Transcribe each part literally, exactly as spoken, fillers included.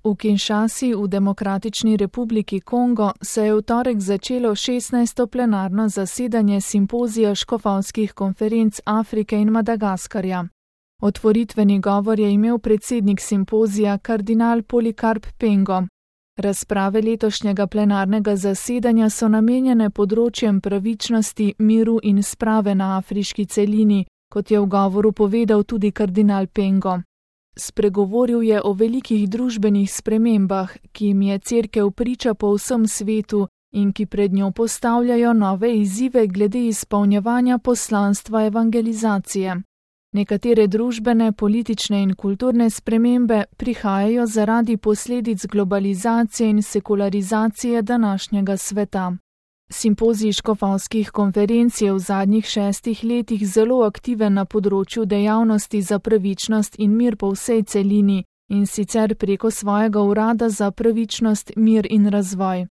V Kinshasi v Demokratični republiki Kongo se je v torek začelo šestnajsto plenarno zasedanje simpozija škofovskih konferenc Afrike in Madagaskarja. Otvoritveni govor je imel predsednik simpozija kardinal Polikarp Pengo. Razprave letošnjega plenarnega zasedanja so namenjene področjem pravičnosti, miru in sprave na afriški celini, kot je v govoru povedal tudi kardinal Pengo. Spregovoril je o velikih družbenih spremembah, ki jim je cerkev priča po vsem svetu in ki pred njo postavljajo nove izzive glede izpolnjevanja poslanstva evangelizacije. Nekatere družbene, politične in kulturne spremembe prihajajo zaradi posledic globalizacije in sekularizacije današnjega sveta. Simpozij škofovskih konferenc je v zadnjih šestih letih zelo aktiven na področju dejavnosti za pravičnost in mir po vsej celini in sicer preko svojega urada za pravičnost, mir in razvoj.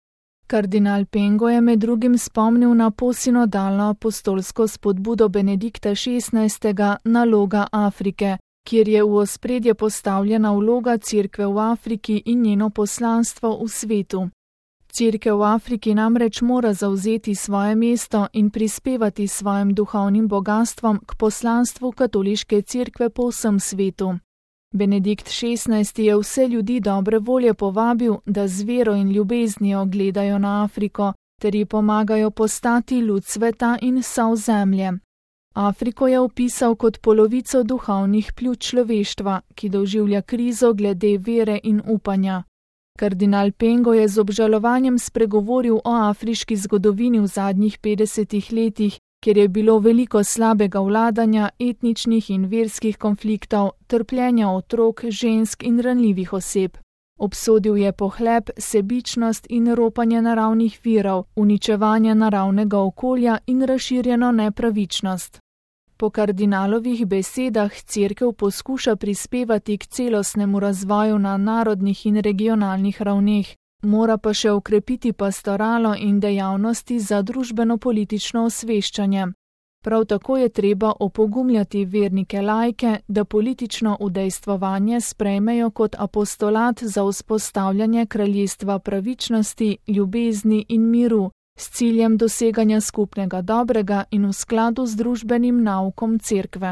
Kardinal Pengo je med drugim spomnil na posinodalno apostolsko spodbudo Benedikta šestnajstega Naloga Afrike, kjer je v ospredje postavljena vloga cerkve v Afriki in njeno poslanstvo v svetu. Cerkev v Afriki namreč mora zavzeti svoje mesto in prispevati svojim duhovnim bogastvom k poslanstvu katoliške cerkve po vsem svetu. Benedikt šestnajsti je vse ljudi dobre volje povabil, da z vero in ljubeznijo gledajo na Afriko, ter ji pomagajo postati lud sveta in sol zemlje. Afriko je opisal kot polovico duhovnih pljuč človeštva, ki doživlja krizo glede vere in upanja. Kardinal Pengo je z obžalovanjem spregovoril o afriški zgodovini v zadnjih petdesetih letih, kjer je bilo veliko slabega vladanja, etničnih in verskih konfliktov, trpljenja otrok, žensk in ranljivih oseb. Obsodil je pohlep, sebičnost in ropanje naravnih virov, uničevanje naravnega okolja in razširjeno nepravičnost. Po kardinalovih besedah cerkev poskuša prispevati k celostnemu razvoju na narodnih in regionalnih ravneh, mora pa še okrepiti pastoralo in dejavnosti za družbeno-politično osveščanje. Prav tako je treba opogumljati vernike laike, da politično udejstvovanje sprejmejo kot apostolat za vzpostavljanje kraljestva pravičnosti, ljubezni in miru, s ciljem doseganja skupnega dobrega in v skladu z družbenim naukom cerkve.